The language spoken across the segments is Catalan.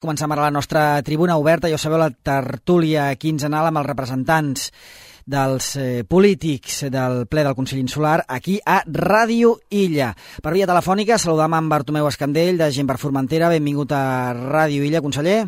Comencem ara la nostra tribuna oberta. Ja ho sabeu, la tertúlia quinzenal amb els representants dels polítics del ple del Consell Insular aquí a Ràdio Illa. Per via telefònica saludam amb Bartomeu Escandell de Gent per Formentera. Benvingut a Ràdio Illa, conseller.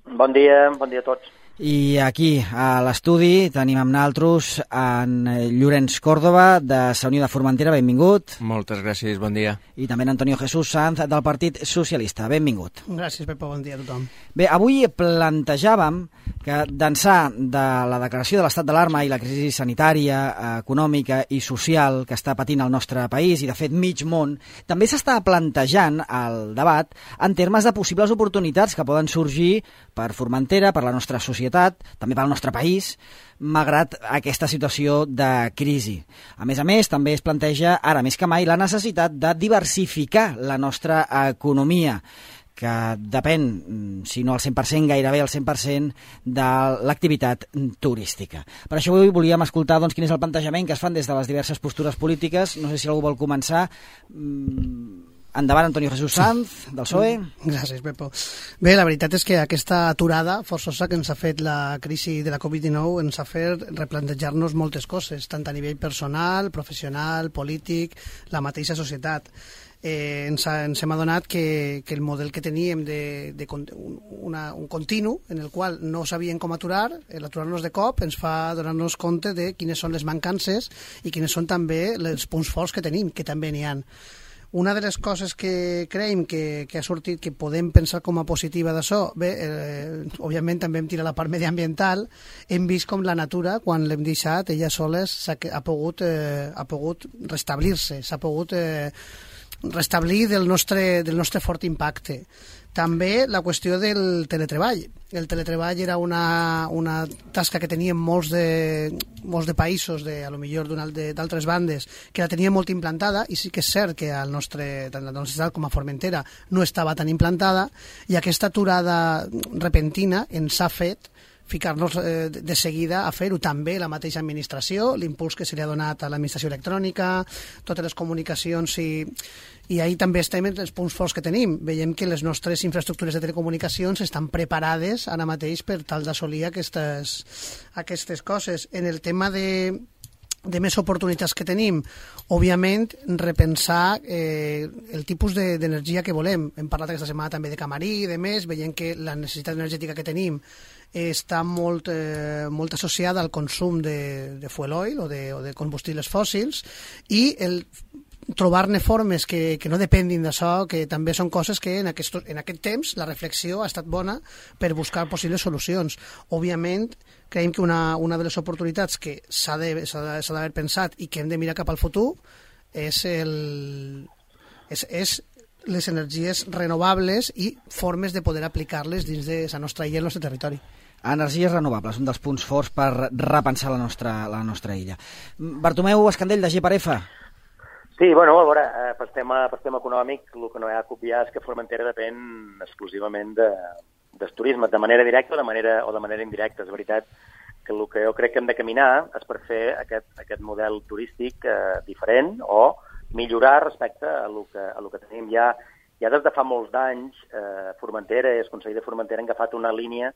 Bon dia a tots. I aquí, a l'estudi, tenim amb naltros en Llorenç Còrdova, de Sa Unió de Formentera. Benvingut. Moltes gràcies, bon dia. I també en Antonio Jesús Sanz, del Partit Socialista. Benvingut. Gràcies, Pepa, bon dia a tothom. Bé, avui plantejàvem que d'ençà de la declaració de l'estat d'alarma i la crisi sanitària, econòmica i social que està patint el nostre país, i de fet mig món, també s'està plantejant el debat en termes de possibles oportunitats que poden sorgir per Formentera, per la nostra societat, també pel nostre país, malgrat aquesta situació de crisi. A més, també es planteja, ara més que mai, la necessitat de diversificar la nostra economia, que depèn, si no al 100%, gairebé al 100%, de l'activitat turística. Per això avui volíem escoltar quin és el plantejament que es fan des de les diverses postures polítiques. No sé si algú vol començar. Endavant, Antonio Jesús Sanz, del PSOE. Gràcies, Pepo. Bé, la veritat és que aquesta aturada forçosa que ens ha fet la crisi de la Covid-19 ens ha fet replantejar-nos moltes coses, tant a nivell personal, professional, polític, la mateixa societat. Ens hem adonat que el model que teníem un continu en el qual no sabíem com aturar, l'aturar-nos de cop ens fa donar-nos compte de quines són les mancances i quines són també els punts forts que tenim, que també n'hi ha. Una de les coses que creiem que ha sortit, que podem pensar com a positiva d'això, bé, òbviament també hem tirat la part mediambiental, hem vist com la natura, quan l'hem deixat, ella soles ha pogut restablir-se, s'ha pogut restablir del nostre fort impacte. També la qüestió del teletreball. El teletreball era una tasca que tenien molts de països, a lo millor d'altres bandes, que la tenien molt implantada, i sí que és cert que tant la nostra ciutat com a Formentera no estava tan implantada, i aquesta aturada repentina ens ha fet ficar-nos de seguida a fer-ho. També la mateixa administració, l'impuls que se li ha donat a l'administració electrònica, totes les comunicacions, i ahir també estem en els punts forts que tenim. Veiem que les nostres infraestructures de telecomunicacions estan preparades ara mateix per tal d'assolir aquestes coses. En el tema de més oportunitats que tenim, òbviament repensar el tipus d'energia que volem. Hem parlat aquesta setmana també de Camarí i de més, veiem que la necessitat energètica que tenim està molt associada al consum de fuel oil o de combustibles fòssils, i el trobar-ne formes que no depenguin d'això, que també són coses que en aquest temps la reflexió ha estat bona per buscar possibles solucions. Òbviament, creiem que una de les oportunitats que s'ha d'haver pensat i que hem de mirar cap al futur és les energies renovables i formes de poder aplicar-les dins de la nostra illa i el nostre territori. Energies renovables, un dels punts forts per repensar la nostra illa. Bartomeu Escandell, de G4F. Sí, bueno, a veure, per tema econòmic, el que no hi ha que obviar és que Formentera depèn exclusivament del turisme, de manera directa o de manera indirecta. És veritat que el que jo crec que hem de caminar és per fer aquest model turístic diferent o millorar respecte a lo que tenim. Ja des de fa molts d'anys, Formentera i el Consell de Formentera han agafat una línia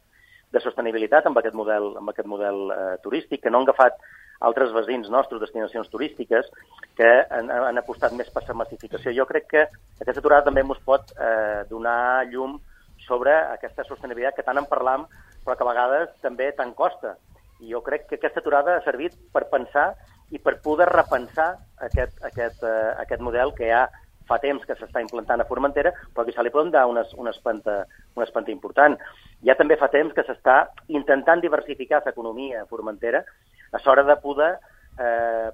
de sostenibilitat amb aquest model turístic, que no han agafat altres veïns nostres, destinacions turístiques, que han apostat més per la massificació. Jo crec que aquesta aturada també ens pot donar llum sobre aquesta sostenibilitat que tant en parlam, però que a vegades també tant costa. I jo crec que aquesta aturada ha servit per pensar i per poder repensar aquest model que ja fa temps que s'està implantant a Formentera, però que se li poden dar una espanta important. Ja també fa temps que s'està intentant diversificar l'economia a Formentera, a l'hora de poder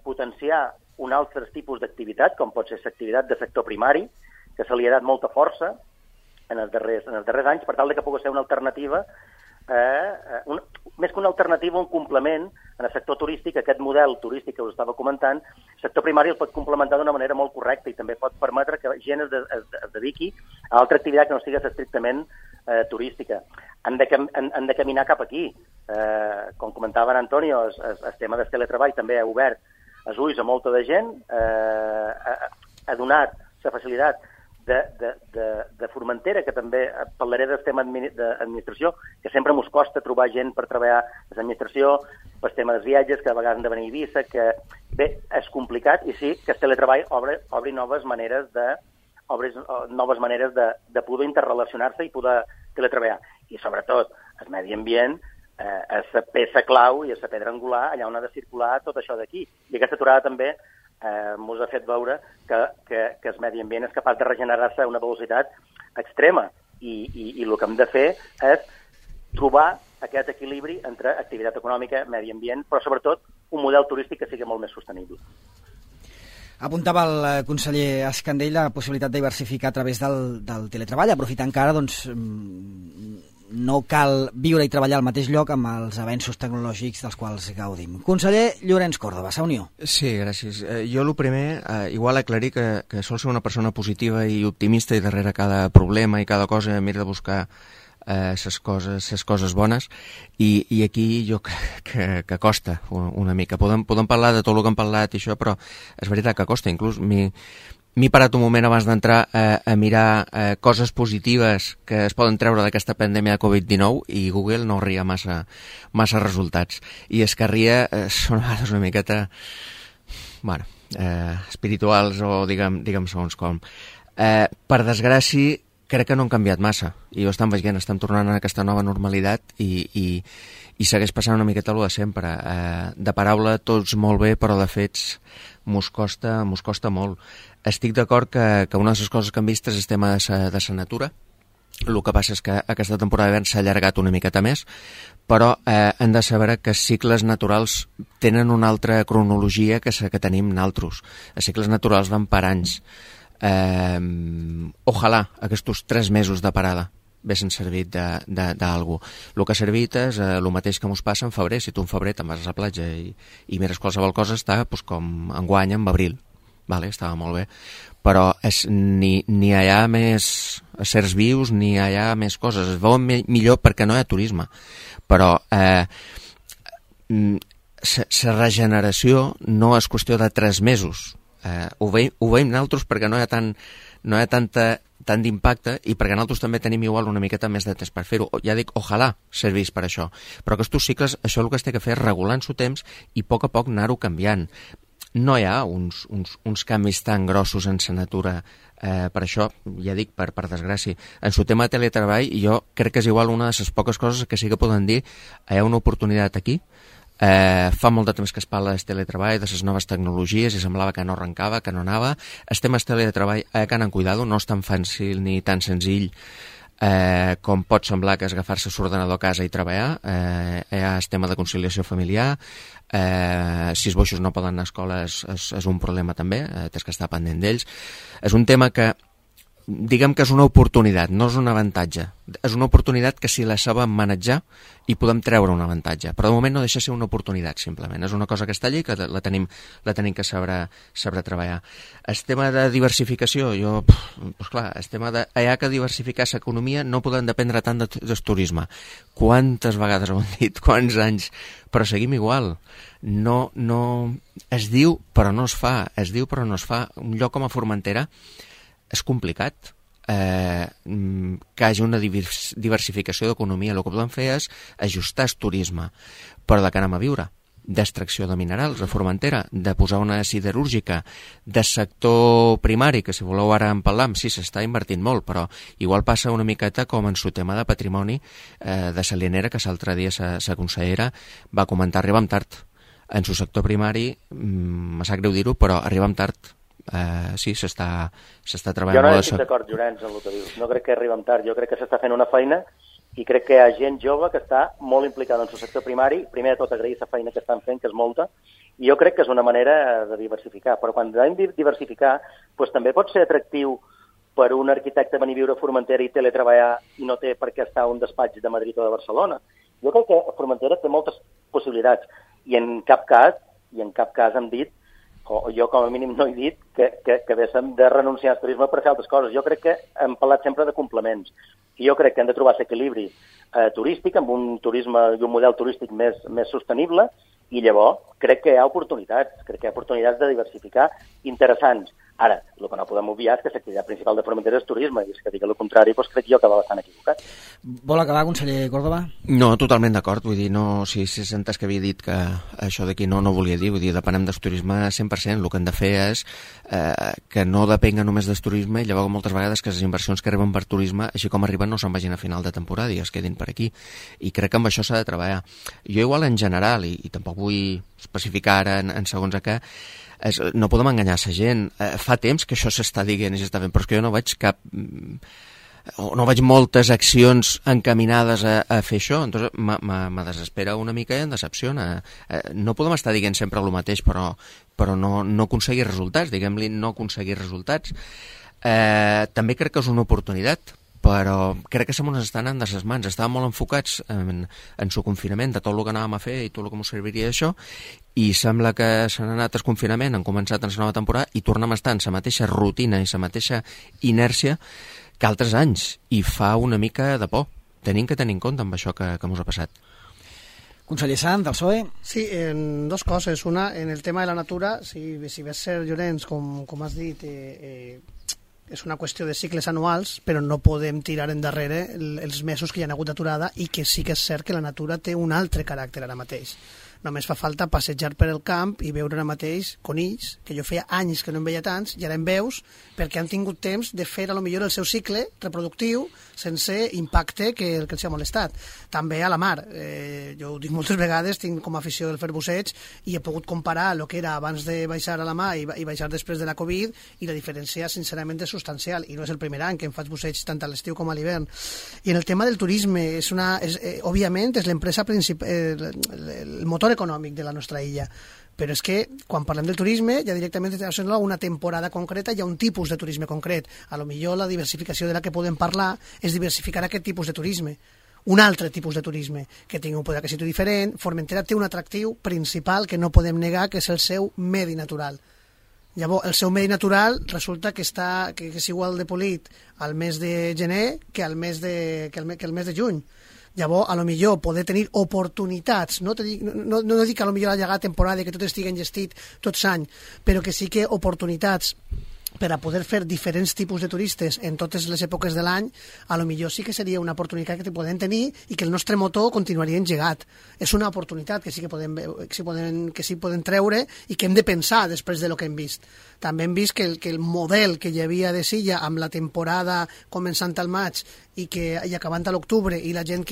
potenciar un altre tipus d'activitat, com pot ser l'activitat de sector primari, que se li ha dat molta força en els darrers anys, per tal que pugui ser una alternativa, més que una alternativa, un complement en el sector turístic, aquest model turístic que us estava comentant. El sector primari el pot complementar d'una manera molt correcta i també pot permetre que gent es dediqui a altra activitat que no sigui estrictament turística. Han de caminar cap aquí. Com comentava en Antonio, el tema del teletreball també ha obert els ulls a molta de gent, ha donat la facilitat de Formentera, que també parlaré del tema d'administració, que sempre mos costa trobar gent per treballar a l'administració, pel tema dels viatges, que a vegades han de venir a Eivissa, que bé, és complicat, i sí que el teletreball obri noves maneres de poder interrelacionar-se i poder teletreballar. I sobretot, el medi ambient és la peça clau i és la pedra angular allà on ha de circular tot això d'aquí. I aquesta aturada també ens ha fet veure que el medi ambient és capaç de regenerar-se a una velocitat extrema i el que hem de fer és trobar aquest equilibri entre activitat econòmica, medi ambient, però sobretot un model turístic que sigui molt més sostenible. Apuntava el conseller Escandell la possibilitat de diversificar a través del teletreball, aprofitant que ara doncs, no cal viure i treballar al mateix lloc amb els avenços tecnològics dels quals gaudim. Conseller Llorenç Córdoba, Sa Unió. Sí, gràcies. Jo el primer, igual aclarir que sol ser una persona positiva i optimista i darrere cada problema i cada cosa mira de buscar ses coses bones i aquí jo crec que costa una mica. Podem parlar de tot el que hem parlat i això, però és veritat que costa. Inclús m'he parat un moment abans d'entrar a mirar coses positives que es poden treure d'aquesta pandèmia de Covid-19 i Google no ria massa resultats. I és que ria són a vegades una miqueta espirituals o diguem segons com. Per desgràcia, crec que no han canviat massa. I ho estem veient, estem tornant a aquesta nova normalitat i segueix passant una miqueta el de sempre. De paraula tots molt bé, però de fets mos costa molt. Estic d'acord que una de les coses que hem vist és el tema de la natura. El que passa és que aquesta temporada d'hivern s'ha allargat una miqueta més, però hem de saber que els cicles naturals tenen una altra cronologia que tenim nosaltres. Els cicles naturals van per anys. Ojalà aquests 3 mesos de parada haguessin servit d'algú. El que ha servit és el mateix que ens passa en febrer. Si tu en febrer te'n vas a la platja i mires qualsevol cosa, està com enguany en abril. Vale, estava molt bé. Però ni hi ha més certs vius, ni hi ha més coses. Es veuen millor perquè no hi ha turisme. Però la regeneració no és qüestió de 3 mesos. Ho veiem nosaltres perquè no hi ha tant d'impacte i perquè nosaltres també tenim igual una miqueta més de temps per fer-ho. Ja dic, ojalà servís per això. Però aquests cicles, això el que es té que fer és regular en su temps i a poc anar-ho canviant. No hi ha uns canvis tan grossos en la natura. Per això, ja dic, per desgràcia. En su tema de teletreball, jo crec que és igual una de les poques coses que sí que poden dir hi ha una oportunitat aquí. Fa molt de temps que es parla del teletreball, de les noves tecnologies, i semblava que no arrencava, que no anava. El tema del teletreball, que han cuidat, no és tan fàcil ni tan senzill com pot semblar que és agafar-se l'ordenador a casa i treballar. Hi ha el tema de conciliació familiar. Si els boixos no poden anar a escola és un problema també, tens que estar pendent d'ells. És un tema que diguem que és una oportunitat, no és un avantatge. És una oportunitat que si la sabem manejar hi podem treure un avantatge, però de moment no deixa ser una oportunitat, simplement. És una cosa que està allí, que la tenim que saber treballar. El tema de diversificació, el tema de hi ha que diversificar l'economia, no podem dependre tant del turisme. Quantes vegades ho hem dit, quants anys, però seguim igual. No, es diu però no es fa, Un lloc com a Formentera és complicat que hagi una diversificació d'economia. El que podem fer és ajustar el turisme, però de què anem a viure? D'extracció de minerals a Formentera, de posar una siderúrgica, de sector primari, que si voleu ara en parlam, sí, s'està invertint molt, però igual passa una miqueta com en su tema de patrimoni de Salienera, que l'altre dia la consellera va comentar, arribem tard. En su sector primari, me sap greu dir-ho, però arribem tard. Sí, s'està treballant. Jo no estic d'acord, Llorenç, amb el que dius. No crec que arribem tard. Jo crec que s'està fent una feina i crec que hi ha gent jove que està molt implicada en el sector primari. Primer de tot, agrair la feina que estan fent, que és molta, i jo crec que és una manera de diversificar. Però quan hem de diversificar, doncs també pot ser atractiu per un arquitecte venir a viure a Formentera i teletreballar i no té per què estar a un despatx de Madrid o de Barcelona. Jo crec que Formentera té moltes possibilitats i en cap cas hem dit, o jo com a mínim no he dit, que haguéssim de renunciar al turisme per fer altres coses. Jo crec que hem parlat sempre de complements. I jo crec que hem de trobar l'equilibri turístic amb un turisme i un model turístic més sostenible, i llavors crec que hi ha oportunitats de diversificar interessants. Ara, el que no podem obviar és que l'activitat principal de Formentera és turisme, i és que digui el contrari, doncs crec jo que va bastant equivocat. Vol acabar, conseller Córdoba? No, totalment d'acord, vull dir, no, si s'ha entès que havia dit que això d'aquí no volia dir, vull dir, depenem del turisme 100%, el que hem de fer és que no depenga només del turisme, i llavors moltes vegades que les inversions que arriben per turisme, així com arriben, no se'n vagin a final de temporada i es quedin per aquí, i crec que amb això s'ha de treballar. Jo igual en general, i tampoc vull especificar ara en segons a què, no podem enganyar la gent. Fa temps que això s'està dient i s'està fent, però és que jo no veig no veig moltes accions encaminades a fer això, entonces me desespera una mica i em decepciona. No podem estar dient sempre el mateix, però no aconseguir resultats, diguem-li, no aconseguir resultats. També crec que és una oportunitat, però crec que se mos estan anant de les mans. Estàvem molt enfocats en su confinament, de tot el que anàvem a fer i tot el que ens serviria això, i sembla que s'han anat al confinament, han començat en la nova temporada i tornem a estar en la mateixa rutina i la mateixa inèrcia que altres anys, i fa una mica de por. Tenim que tenir en compte amb això que ens ha passat. Conseller Sant, del PSOE? Sí, en dos coses. Una, en el tema de la natura, si ves ser, Llorenç, com has dit, és una qüestió de cicles anuals, però no podem tirar endarrere els mesos que hi ha hagut d'aturada, i que sí que és cert que la natura té un altre caràcter ara mateix. Només fa falta passejar per el camp i veure ara mateix conills, que jo feia anys que no en veia tants, i ara en veus perquè han tingut temps de fer a lo millor el seu cicle reproductiu sense impacte que els ha molestat. També a la mar. Jo ho dic moltes vegades, tinc com a afició del fer busseig, i he pogut comparar el que era abans de baixar a la mar i baixar després de la Covid, i la diferència sincerament és substancial, i no és el primer any que em faig busseig tant a l'estiu com a l'hivern. I en el tema del turisme, òbviament és l'empresa principal, el motor econòmic de la nostra illa, però és que quan parlem del turisme ja directament a una temporada concreta, hi ha un tipus de turisme concret. A lo millor la diversificació de la que podem parlar és diversificar aquest tipus de turisme, un altre tipus de turisme que tingui un poder aquisitiu diferent. Formentera té un atractiu principal que no podem negar, que és el seu medi natural. Llavors, el seu medi natural resulta que és igual de polit al mes de gener que el mes de juny. Llavors, a lo millor poder tenir oportunitats, no dic que a lo millor allargar temporada i que tot estigui engestit tot l'any, però que sí que oportunitats per a poder fer diferents tipus de turistes en totes les èpoques de l'any, a lo millor sí que seria una oportunitat que podem tenir i que el nostre motor continuaria engegat. És una oportunitat que sí que podem treure i que hem de pensar després de lo que hem vist. També hem vist que el model que hi havia de Silla amb la temporada començant al maig i acabant a l'octubre, i la gent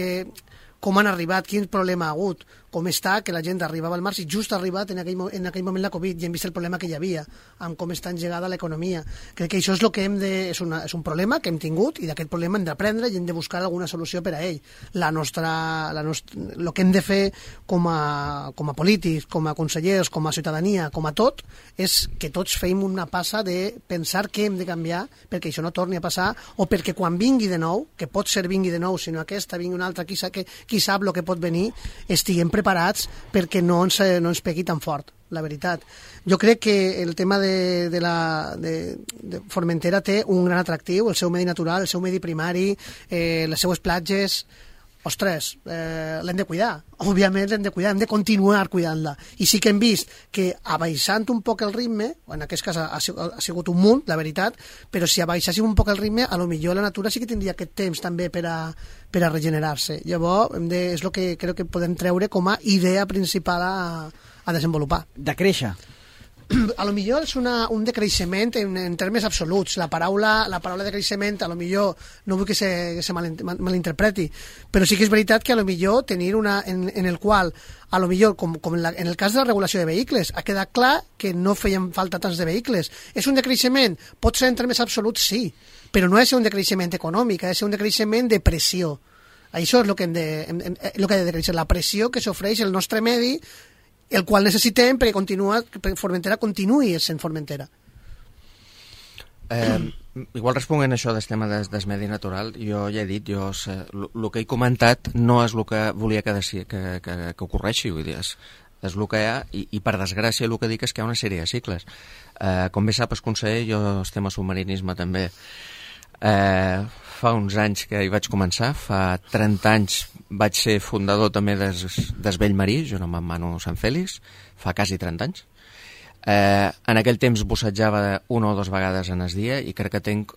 com han arribat, quin problema ha hagut, com està que la gent arribava al març i just ha arribat en aquell moment la Covid, i hem vist el problema que hi havia amb com està engegada l'economia. Crec que això és el que és un problema que hem tingut, i d'aquest problema hem d'aprendre i hem de buscar alguna solució per a ell. El que hem de fer com a polítics, com a consellers, com a ciutadania, com a tot, és que tots fem una passa de pensar què hem de canviar perquè això no torni a passar, o perquè quan vingui de nou, que pot ser vingui de nou, sinó aquesta vingui una altra, qui sap el que pot venir, estiguem preparats perquè no ens pegui tan fort, la veritat. Jo crec que el tema de Formentera té un gran atractiu, el seu medi natural, el seu medi primari, les seues platges. Ostres, l'hem de cuidar, òbviament l'hem de cuidar, hem de continuar cuidant-la. I sí que hem vist que abaixant un poc el ritme, en aquest cas ha sigut un munt, la veritat, però si abaixéssim un poc el ritme, a lo millor la natura sí que tindria aquest temps també per a regenerar-se. Llavors, és el que crec que podem treure com a idea principal a desenvolupar. De créixer. A lo millor és un decreixement en termes absoluts. La paraula de creixement, a lo millor no vull que se malinterpreti, però sí que és veritat que a lo millor tenir en el qual, a lo millor, com en el cas de la regulació de vehicles, ha quedat clar que no feien falta tants de vehicles. És un decreixement? Pot ser en termes absoluts, sí, però no ha de ser un decreixement econòmic, ha de ser un decreixement de pressió. Això és el que ha de decréixer, la pressió que s'ofereix el nostre medi, el qual necessitem perquè Formentera continuï sent Formentera. Igual responent això del tema del medi natural, jo ja he dit, el que he comentat no és el que volia que ocorreixi, vull dir, és el que hi ha, i per desgràcia el que dic és que hi ha una sèrie de cicles. Com bé sap el conseller, jo estem a submarinisme també. Fa uns anys que hi vaig començar, fa 30 anys vaig ser fundador també del Vell Marí, junt amb en Manu Sant Fèlix, fa quasi 30 anys. En aquell temps bussejava una o dues vegades en el dia i crec que tinc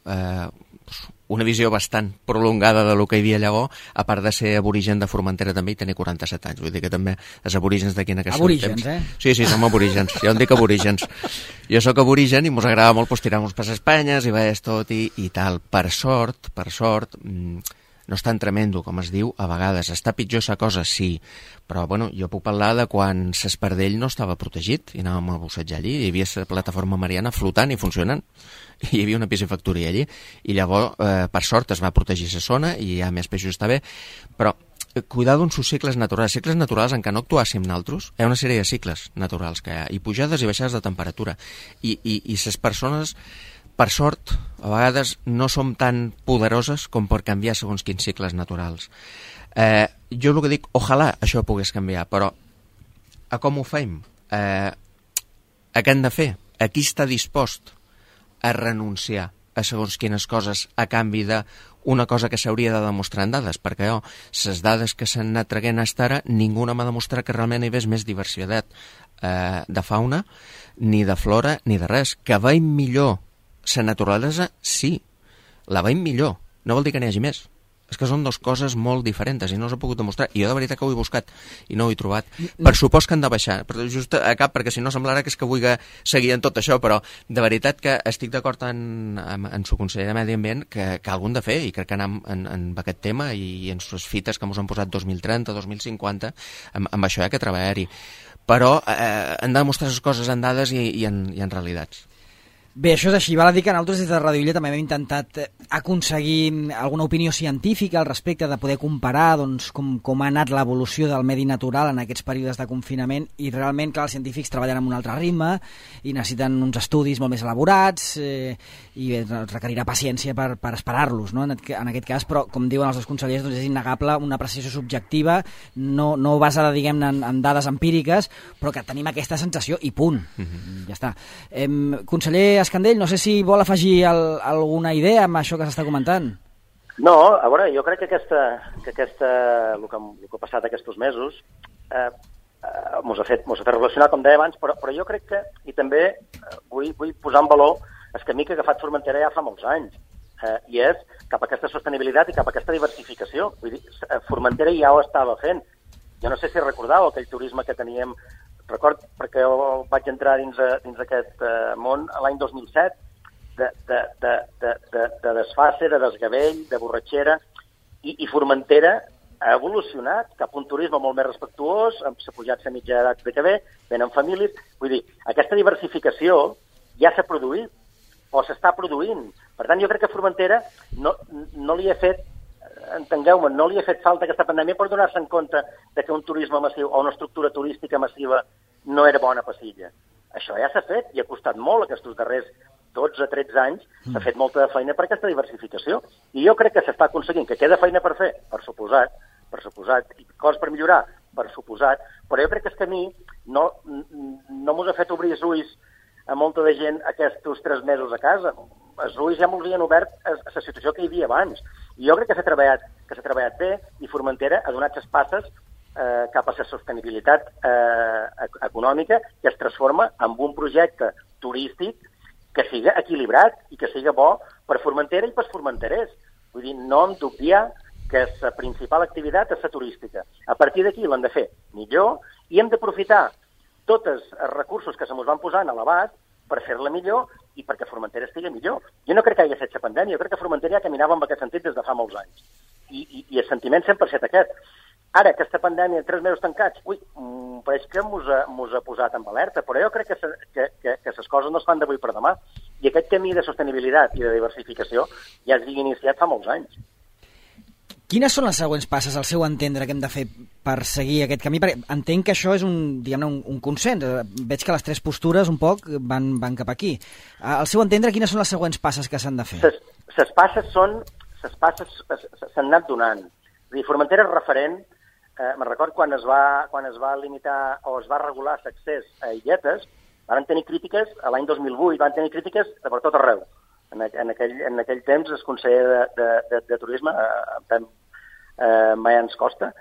una visió bastant prolongada de lo que hi havia llavors, a part de ser aborigen de Formentera també i tenir 47 anys. Vull dir que també els aborígens d'aquí en aquest aborígens, temps... Sí, som aborígens. Jo en dic aborígens. Jo sóc aborigen i mos agrada molt tirar-nos per Espanyes i veus tot i tal. Per sort, no és tan tremendo com es diu a vegades. Està pitjor sa cosa, sí, però bueno, jo puc parlar de quan l'Espardell no estava protegit i anàvem a bussejar allí, hi havia la plataforma mariana flotant i funcionant, i hi havia una piscifactoria allí, i llavors, per sort, es va protegir la zona i hi ha més peixos, està bé, però cuidado amb els cicles naturals en què no actuàssim nosaltres, hi ha una sèrie de cicles naturals que hi ha, i pujades i baixades de temperatura, i les persones, per sort, a vegades no som tan poderoses com per canviar segons quins cicles naturals. Jo el que dic, ojalà això pogués canviar, però a com ho fem? A què hem de fer? A qui està dispost a renunciar a segons quines coses a canvi d'una cosa que s'hauria de demostrar en dades? Perquè les dades que s'han anat traient fins ara, ningú m'ha demostrat que realment hi hagués més diversitat de fauna, ni de flora, ni de res. Que veiem millor la naturalesa, sí, la veiem millor, no vol dir que n'hi hagi més. És que són dues coses molt diferents i no s'ha pogut demostrar. I jo de veritat que ho he buscat i no ho he trobat. Per supòs que han de baixar, però just a cap, perquè si no semblarà que és que vull seguir en tot això, però de veritat que estic d'acord amb su conseller de Medi Ambient que algú han de fer, i crec que anem en aquest tema i en les fites que ens han posat 2030, 2050, amb això hi ha que treballar-hi. Però han de demostrar les coses en dades i en realitats. Bé, això és així. Val a dir que nosaltres des de Radio Illa també hem intentat aconseguir alguna opinió científica al respecte, de poder comparar doncs, com ha anat l'evolució del medi natural en aquests períodes de confinament, i realment, clar, els científics treballen amb un altre ritme i necessiten uns estudis molt més elaborats i requerirà paciència per esperar-los, no? En aquest cas, però com diuen els dos consellers, doncs és innegable una apreciació subjectiva, no basada, diguem-ne, en dades empíriques, però que tenim aquesta sensació i punt. Ja està. Conseller Escandell, no sé si vol afegir alguna idea amb això que s'està comentant. No, a veure, jo crec que el que ha passat aquests mesos mos ha fet reflexionar, com deia abans, però jo crec que, i també vull posar en valor el camí que ha agafat Formentera ja fa molts anys, i és cap a aquesta sostenibilitat i cap a aquesta diversificació. Vull dir, Formentera ja ho estava fent. Jo no sé si recordeu aquell turisme que teníem. Record, perquè jo vaig entrar dins aquest món l'any 2007, de desfase, de desgavell, de borratxera, i Formentera ha evolucionat cap a un turisme molt més respectuós, amb s'ha pujat la mitja edat de que ve, venen famílies. Vull dir, aquesta diversificació ja s'ha produït, o s'està produint. Per tant, jo crec que Formentera no li ha fet, entengueu-me, no li ha fet falta aquesta pandèmia per donar-se en compte de que un turisme massiu o una estructura turística massiva no era bona passilla. Això ja s'ha fet i ha costat molt aquests darrers 12-13 anys, s'ha fet molta feina per aquesta diversificació. I jo crec que s'està aconseguint, que queda feina per fer, per suposat, i coses per millorar, per suposat, però jo crec que el camí no mos ha fet obrir els ulls a molta de gent aquests 3 mesos a casa. Els ulls ja mos havien obert a la situació que hi havia abans. I jo crec que s'ha treballat bé, i Formentera ha donat les passes cap a la sostenibilitat econòmica, que es transforma en un projecte turístic que siga equilibrat i que siga bo per Formentera i pels formenterers. Vull dir, no hem d'obviar que la principal activitat és la turística. A partir d'aquí l'hem de fer millor i hem d'aprofitar tots els recursos que se mos van posant a l'abast per fer-la millor i perquè Formentera estigui millor. Jo no crec que hagi estat la pandèmia, jo crec que Formentera ja caminava en aquest sentit des de fa molts anys. I el sentiment sempre ha estat aquest. Ara, aquesta pandèmia, 3 mesos tancats, pareix que mos ha posat en alerta, però jo crec que les coses no es fan d'avui per demà. I aquest camí de sostenibilitat i de diversificació ja es havia iniciat fa molts anys. Quines són les següents passes, al seu entendre, que hem de fer per seguir aquest camí? Perquè entenc que això és un consens. Veig que les 3 postures un poc van cap aquí. Al seu entendre, quines són les següents passes que s'han de fer? Les passes s'han anat donant. És a dir, Formentera és referent. Me'n record quan es va limitar o es va regular l'accés a illetes, van tenir crítiques, l'any 2008 van tenir crítiques de per tot arreu. En aquell temps el conseller de Turisme, Mayans Costa,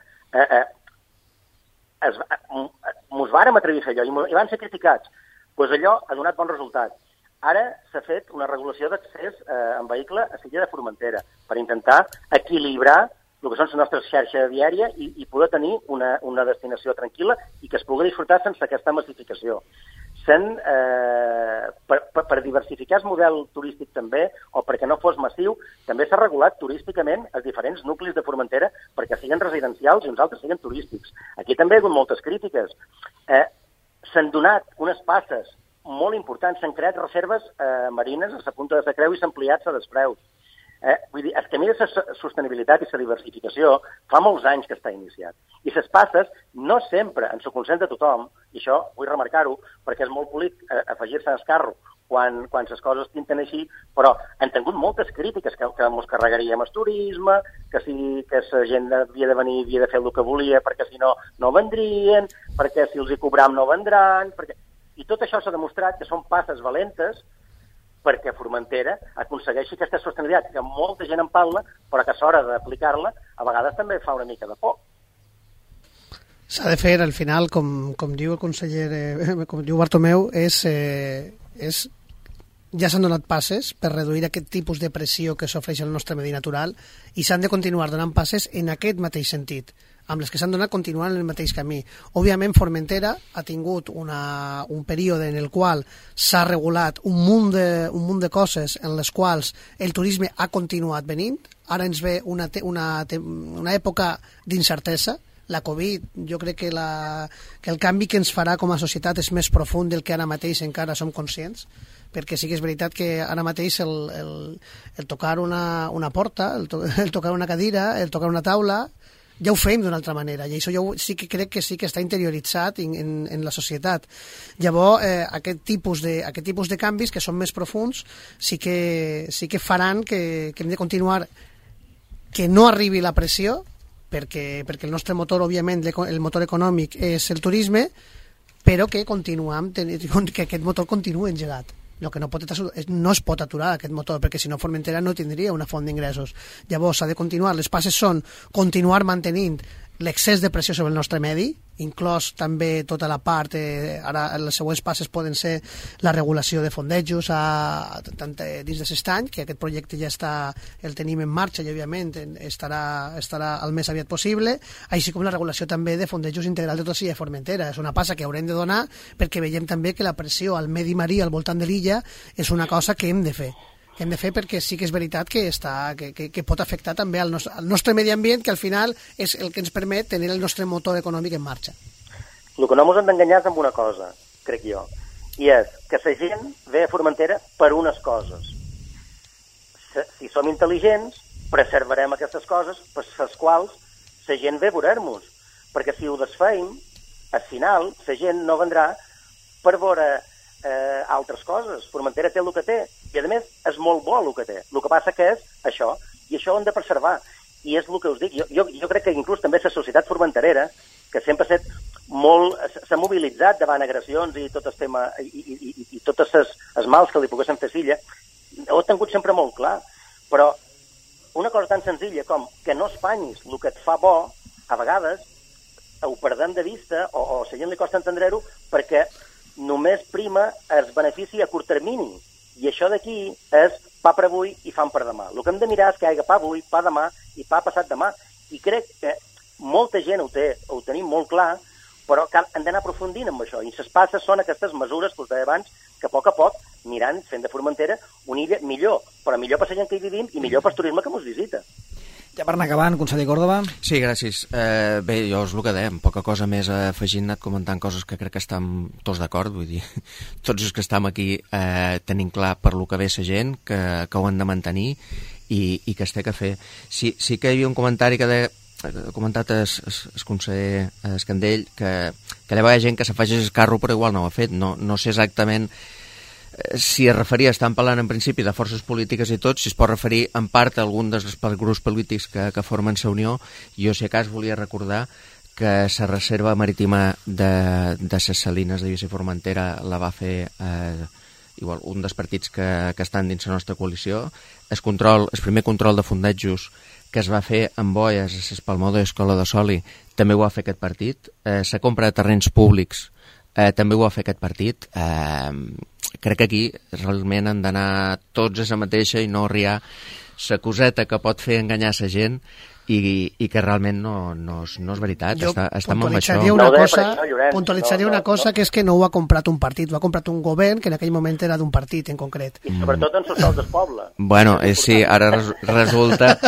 mos vàrem atrevir a fer allò i van ser criticats. Doncs allò ha donat bon resultat. Ara s'ha fet una regulació d'accés en vehicle a Silla de Formentera per intentar equilibrar el que són la nostra xarxa viària i poder tenir una destinació tranquil·la i que es pugui disfrutar sense aquesta massificació. Per diversificar el model turístic també, o perquè no fos massiu, també s'ha regulat turísticament els diferents nuclis de Formentera perquè siguin residencials i uns altres siguin turístics. Aquí també hi ha hagut moltes crítiques. S'han donat unes passes molt importants, s'han creat reserves marines a la punta de la Creu i s'han ampliat a Despreus. Vull dir, el camí de la sostenibilitat i la diversificació fa molts anys que està iniciat. I les passes no sempre, en el consens de tothom, i això vull remarcar-ho, perquè és molt polit afegir-se al carro quan les coses tinten així, però han tingut moltes crítiques que ens carregaríem el turisme, que la gent havia de venir, havia de fer el que volia, perquè si no, no vendrien, perquè si els hi cobram no vendran... I tot això s'ha demostrat que són passes valentes perquè Formentera aconsegueixi aquesta sostenibilitat, que molta gent en parla, però que a l'hora d'aplicar-la a vegades també fa una mica de por. S'ha de fer, al final, com diu el conseller, com diu Bartomeu, ja s'han donat passes per reduir aquest tipus de pressió que s'ofereix al nostre medi natural i s'han de continuar donant passes en aquest mateix sentit, amb les que s'han donat continuant en el mateix camí. Òbviament, Formentera ha tingut un període en el qual s'ha regulat un munt de coses en les quals el turisme ha continuat venint. Ara ens ve una època d'incertesa. La Covid, jo crec que el canvi que ens farà com a societat és més profund del que ara mateix encara som conscients, perquè sí que és veritat que ara mateix el tocar una porta, el tocar una cadira, el tocar una taula, ja ho fem d'una altra manera, i això sí que crec que sí que està interioritzat en la societat. Llavors, aquest tipus de canvis que són més profuns sí que faran que hem de continuar, que no arribi la pressió, perquè el nostre motor, òbviament, el motor econòmic és el turisme, però que aquest motor continuï engegat. El que no es pot aturar aquest motor, perquè si no Formentera no tindria una font d'ingressos. Llavors s'ha de continuar. Les passes són continuar mantenint l'excés de pressió sobre el nostre medi, inclòs també tota la part, ara les següents passes poden ser la regulació de fondejos tant dins de l'estany, que aquest projecte ja el tenim en marxa i òbviament estarà el més aviat possible, així com la regulació també de fondejos integral de tota l'illa de Formentera. És una passa que haurem de donar perquè veiem també que la pressió al medi marí al voltant de l'illa és una cosa que hem de fer. Hem de fer perquè sí que és veritat que pot afectar també al nostre medi ambient, que al final és el que ens permet tenir el nostre motor econòmic en marxa. El que no ens hem d'enganyar és amb una cosa, crec jo, i és que la gent ve a Formentera per unes coses. Si som intel·ligents, preservarem aquestes coses per les quals la gent ve a veure-nos, perquè si ho desfeim, al final la gent no vendrà per veure altres coses. Formentera té el que té i a més és molt bo el que té. El que passa que és això, i això ho hem de preservar, i és el que us dic. Jo crec que inclús també la societat formenterera, que sempre s'ha mobilitzat davant agressions i tot el tema i tots els mals que li poguessin fer Silla, ho he tingut sempre molt clar, però una cosa tan senzilla com que no espanyis el que et fa bo, a vegades ho perdem de vista o a la gent li costa entendre-ho perquè només prima el benefici a curt termini. I això d'aquí és pa per avui i fam per demà. El que hem de mirar és que hi hagi pa avui, pa demà i pa passat demà. I crec que molta gent ho tenim molt clar, però hem d'anar aprofundint amb això. I les passes són aquestes mesures que us deia abans, que a poc aniran fent de Formentera una illa millor, però millor per la gent que hi vivim i millor per el turisme que ens visita. Ja per anar acabant, conseller Córdoba. Sí, gràcies. Bé, jo és el que dèiem, poca cosa més afegint, anat comentant coses que crec que estem tots d'acord, vull dir, tots els que estem aquí tenim clar per lo que ve la gent, que ho han de mantenir i que es té que fer. Sí que hi havia un comentari que ha comentat el conseller Escandell, que hi ha gent que s'afegeix el carro però igual no ho ha fet. No sé exactament si es referia, estan parlant en principi de forces polítiques i tot, si es pot referir en part a algun dels grups polítics que formen la Unió. Jo, si a cas, volia recordar que la reserva marítima de les Salines de Lluís i Formentera la va fer igual un dels partits que estan dins la nostra coalició. El primer control de fondejos que es va fer amb boies a l'Espalmó de l'Escola de Soli també ho va fer aquest partit. La compra de terrenys públics també ho va fer aquest partit. Crec que aquí realment han d'anar tots a la mateixa i no riar la coseta que pot fer enganyar la gent i que realment no és veritat. Estem amb això. Puntualitzaria una cosa, que és que no ho ha comprat un partit, ho ha comprat un govern que en aquell moment era d'un partit en concret. I sobretot en socials del poble. Bueno, sí, ara resulta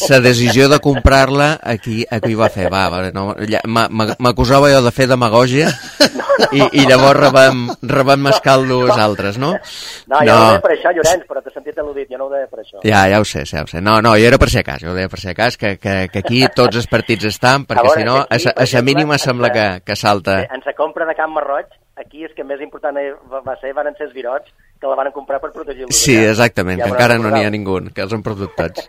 la decisió de comprar-la aquí ho va fer. M'acusava jo de fer demagògia i llavors rebem mescaldo els altres, no? No, jo no ho deia per això, Llorenç, però t'he sentit al·ludit, jo no ho deia per això. Ja ho sé. No, jo era per si a cas, que aquí tots els partits estan, perquè si no, a la mínima sembla que salta. En la compra de Can Marroig, aquí és que més important van ser els virots, que la van comprar per protegir-los. Sí, exactament, que encara no n'hi ha ningú, que els han perdut tots.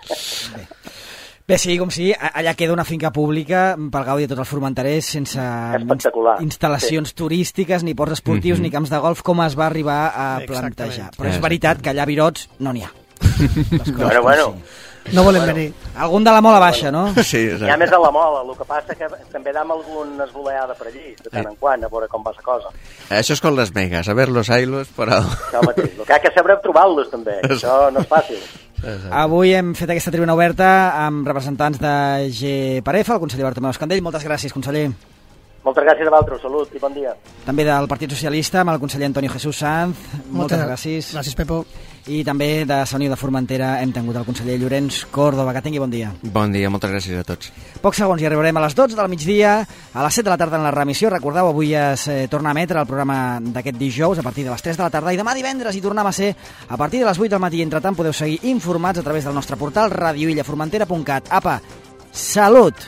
Bé, sigui com sigui, allà queda una finca pública pel gaudi de tots els formenterers, sense instal·lacions turístiques, ni ports esportius, ni camps de golf, com es va arribar a plantejar. Però és veritat que allà a Virots no n'hi ha. Bueno. No volem venir. Algun de la Mola Baixa, no? Sí, exacte. Hi ha més a la Mola, el que passa que també dam algun esvoleada per allí, de tant en quant, a veure com va la cosa. Això és com les megas, a ver-los, ailos, però... Això mateix, el que ha que saber trobar-los també, això no és fàcil. Avui hem fet aquesta tribuna oberta amb representants de GPAREFA, el conseller Bartomeu Escandell. Moltes gràcies, conseller. Moltes gràcies a vosaltres, salut i bon dia. També del Partit Socialista, amb el conseller Antonio Jesús Sanz. Moltes gràcies. Gràcies, Pepo. I també de la Unió de Formentera hem tingut el conseller Llorenç Córdoba. Que tingui bon dia. Bon dia, moltes gràcies a tots. Pocs segons i arribarem a les 12 del migdia, a les 7 de la tarda en la remissió. Recordeu, avui es torna a emetre el programa d'aquest dijous a partir de les 3 de la tarda i demà divendres hi tornem a ser a partir de les 8 del matí. Entretant podeu seguir informats a través del nostre portal radioillaformentera.cat. Apa, salut!